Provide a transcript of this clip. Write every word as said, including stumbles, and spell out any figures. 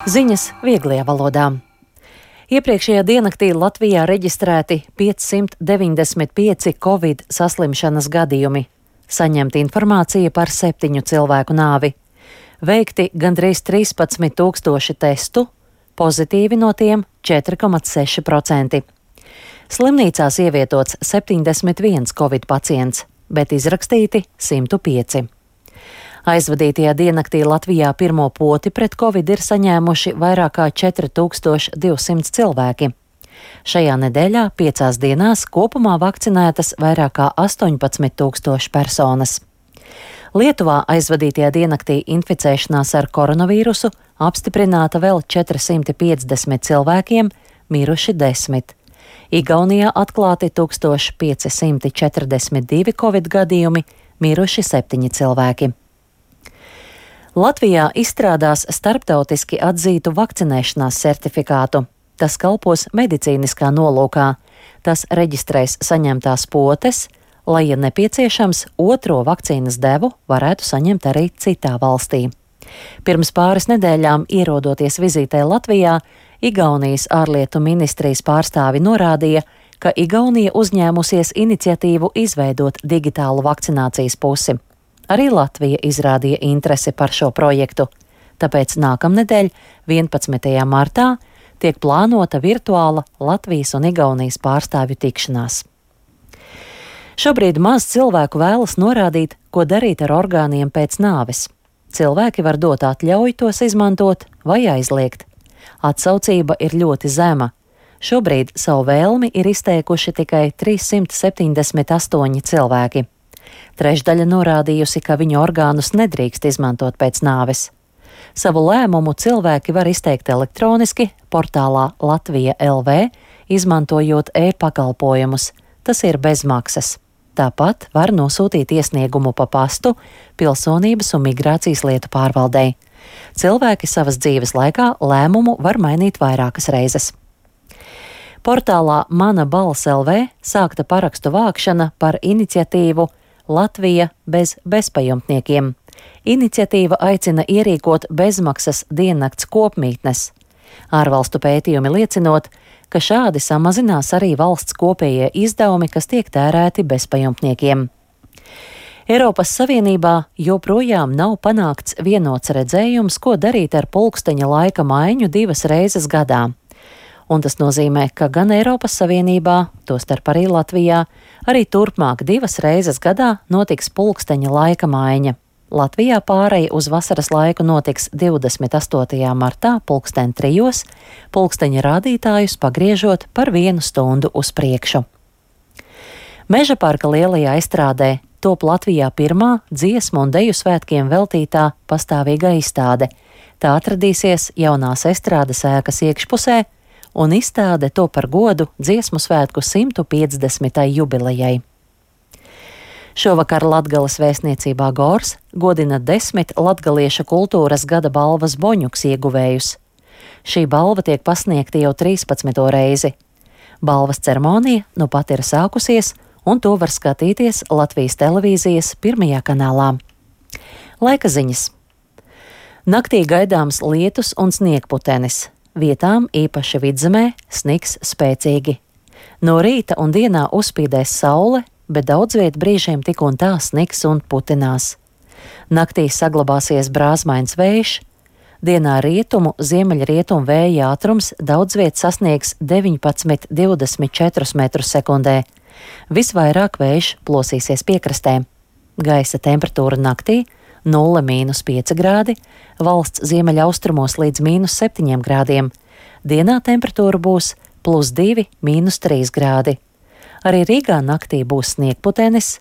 Ziņas vieglajā valodā. Iepriekšējā diennaktī Latvijā reģistrēti piecsimt deviņdesmit pieci covid saslimšanas gadījumi. Saņemta informācija par septiņu cilvēku nāvi. Veikti gandrīz trīspadsmit tūkstoši testu, pozitīvi no tiem četri komats seši procenti. Slimnīcās ievietots septiņdesmit viens covid pacients, bet izrakstīti simt pieci. Aizvadītajā diennaktī Latvijā pirmo poti pret covid ir saņēmuši vairāk kā četri tūkstoši divsimt cilvēki. Šajā nedēļā piecās dienās kopumā vakcinētas vairāk kā astoņpadsmit tūkstoši personas. Lietuvā aizvadītajā diennaktī inficēšanās ar koronavīrusu apstiprināta vēl četri simti piecdesmit cilvēkiem, miruši desmit. Igaunijā atklāti tūkstoš pieci simti četrdesmit divi covid gadījumi, miruši septiņi cilvēki. Latvijā izstrādās starptautiski atzītu vakcinēšanās certifikātu. Tas kalpos medicīniskā nolūkā. Tas reģistrēs saņemtās potes, lai, ja nepieciešams, otro vakcīnas devu varētu saņemt arī citā valstī. Pirms pāris nedēļām, ierodoties vizītē Latvijā, Igaunijas ārlietu ministrijas pārstāvi norādīja, ka Igaunija uzņēmusies iniciatīvu izveidot digitālu vakcinācijas pusi. Arī Latvija izrādīja interesi par šo projektu, tāpēc nākamnedēļ, vienpadsmitajā martā, tiek plānota virtuāla Latvijas un Igaunijas pārstāvju tikšanās. Šobrīd maz cilvēku vēlas norādīt, ko darīt ar orgāniem pēc nāves. Cilvēki var dot atļauju tos izmantot vai aizliegt. Atsaucība ir ļoti zema. Šobrīd savu vēlmi ir izteikuši tikai trīssimt septiņdesmit astoņi cilvēki. Trešdaļa norādījusi, ka viņu orgānus nedrīkst izmantot pēc nāves. Savu lēmumu cilvēki var izteikt elektroniski portālā Latvija L V, izmantojot e-pakalpojumus. Tas ir bez maksas. Tāpat var nosūtīt iesniegumu pa pastu Pilsonības un migrācijas lietu pārvaldei. Cilvēki savas dzīves laikā lēmumu var mainīt vairākas reizes. Portālā Mana balss L V sākta parakstu vākšana par iniciatīvu Latvija bez bezpajumtniekiem. Iniciatīva aicina ierīkot bezmaksas diennakts kopmītnes. Ārvalstu pētījumi liecinot, ka šādi samazinās arī valsts kopējie izdevumi, kas tiek tērēti bezpajumtniekiem. Eiropas Savienībā joprojām nav panākts vienots redzējums, ko darīt ar pulksteņa laika maiņu divas reizes gadā. Un tas nozīmē, ka gan Eiropas Savienībā, tostarp arī Latvijā, arī turpmāk divas reizes gadā notiks pulksteņa laika maiņa. Latvijā pāreja uz vasaras laiku notiks divdesmit astotajā martā pulksten trijos, pulksteņa rādītājus pagriežot par vienu stundu uz priekšu. Meža parka lielajā izstrādē top Latvijā pirmā dziesmu un deju svētkiem veltītā pastāvīgā izstāde. Tā atradīsies jaunās estrādes ēkas iekšpusē, un izstāde to par godu dziesmu svētku simt piecdesmitajai jubilejai. Šovakar Latgales vēstniecībā Gors godina desmit latgaliešu kultūras gada balvas Boņuks ieguvējus. Šī balva tiek pasniegta jau trīspadsmito reizi. Balvas ceremonija nu pat ir sākusies, un to var skatīties Latvijas televīzijas pirmajā kanālā. Laika ziņas. Naktī gaidāms lietus un sniegputenis. Vietām, īpaši vidzemē, sniks spēcīgi. No rīta un dienā uzspīdēs saule, bet daudz viet brīžiem tik un tā sniks un putinās. Naktī saglabāsies brāzmains vējš, dienā rietumu, ziemeļrietumu vēja ātrums daudz viet sasniegs deviņpadsmit līdz divdesmit četri metrus sekundē. Visvairāk vējš plosīsies piekrastē. Gaisa temperatūra naktī nulle mīnus pieci grādi, valsts ziemeļaustrumos līdz mīnus septiņiem grādiem. Dienā temperatūra būs plus divi, mīnus trīs grādi. Arī Rīgā naktī būs sniegputenis,